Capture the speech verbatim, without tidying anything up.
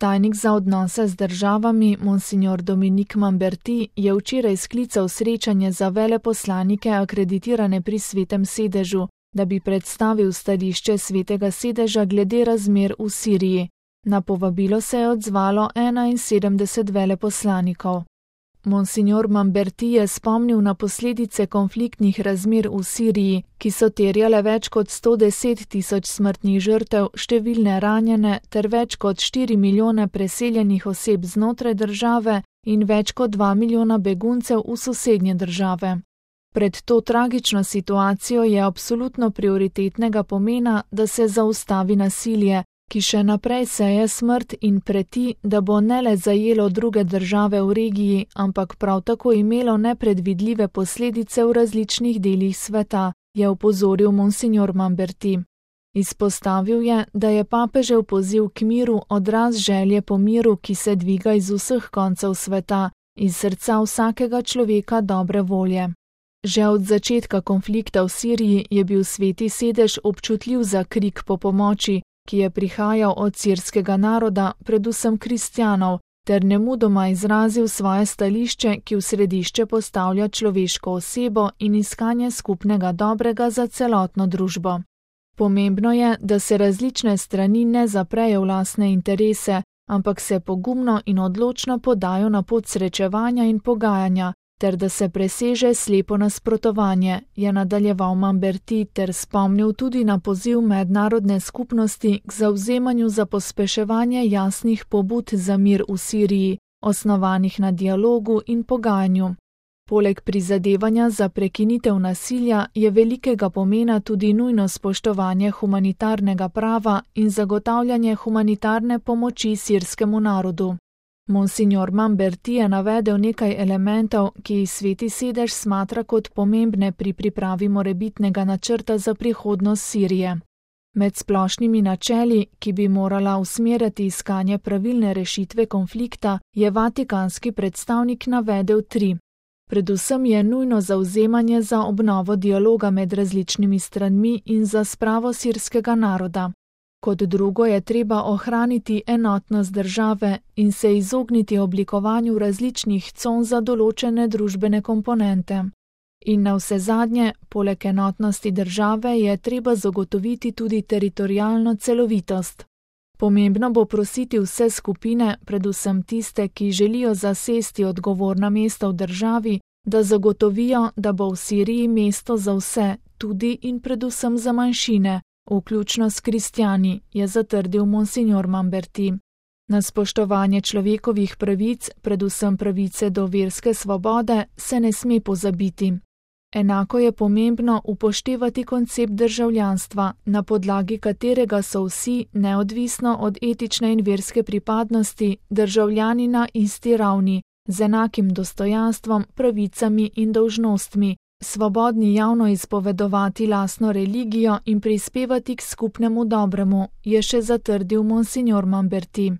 Tajnik za odnose z državami Monsignor Dominique Mamberti je včeraj sklical srečanje za veleposlanike akreditirane pri Svetem sedežu, da bi predstavil stališče Svetega sedeža glede razmer v Siriji. Na povabilo se je odzvalo enainsedemdeset veleposlanikov. Monsignor Mamberti je spomnil na posledice konfliktnih razmer v Siriji, ki so terjale več kot sto deset tisoč smrtnih žrtev, številne ranjene ter več kot štiri milijone preseljenih oseb znotraj države in več kot dva milijona beguncev v sosednje države. Pred to tragično situacijo je absolutno prioritetnega pomena, da se zaustavi nasilje, ki še naprej seje smrt in preti, da bo ne le zajelo druge države v regiji, ampak prav tako imelo nepredvidljive posledice v različnih delih sveta, je opozoril Monsignor Mamberti. Izpostavil je, da je papežev poziv k miru odraz želje po miru, ki se dviga iz vseh koncev sveta, iz srca vsakega človeka dobre volje. Že od začetka konflikta v Siriji je bil Sveti sedež občutljiv za krik po pomoči, ki je prihajal od sirskega naroda, predvsem kristjanov, ter nemudoma izrazil svoje stališče, ki v središče postavlja človeško osebo in iskanje skupnega dobrega za celotno družbo. Pomembno je, da se različne strani ne zaprejo v lastne interese, ampak se pogumno in odločno podajo na pot srečevanja in pogajanja, ter da se preseže slepo nasprotovanje, je nadaljeval Mamberti ter spomnil tudi na poziv mednarodne skupnosti k zavzemanju za pospeševanje jasnih pobud za mir v Siriji, osnovanih na dialogu in pogajanju. Poleg prizadevanja za prekinitev nasilja je velikega pomena tudi nujno spoštovanje humanitarnega prava in zagotavljanje humanitarne pomoči sirskemu narodu. Monsignor Mamberti je navedel nekaj elementov, ki jih Sveti sedež smatra kot pomembne pri pripravi morebitnega načrta za prihodnost Sirije. Med splošnimi načeli, ki bi morala usmerjati iskanje pravilne rešitve konflikta, je vatikanski predstavnik navedel tri. Predvsem je nujno zavzemanje za obnovo dialoga med različnimi stranmi in za spravo sirskega naroda. Kot drugo je treba ohraniti enotnost države in se izogniti oblikovanju različnih con za določene družbene komponente. In navsezadnje, poleg enotnosti države je treba zagotoviti tudi teritorialno celovitost. Pomembno bo prositi vse skupine, predvsem tiste, ki želijo zasesti odgovorna mesta v državi, da zagotovijo, da bo v Siriji mesto za vse, tudi in predvsem za manjšine, vključno s kristjani, je zatrdil Monsignor Mamberti. Na spoštovanje človekovih pravic, predvsem pravice do verske svobode, se ne sme pozabiti. Enako je pomembno upoštevati koncept državljanstva, na podlagi katerega so vsi, neodvisno od etične in verske pripadnosti, državljani na isti ravni, z enakim dostojanstvom, pravicami in dolžnostmi, svobodni javno izpovedovati lastno religijo in prispevati k skupnemu dobremu, je še zatrdil Monsignor Mamberti.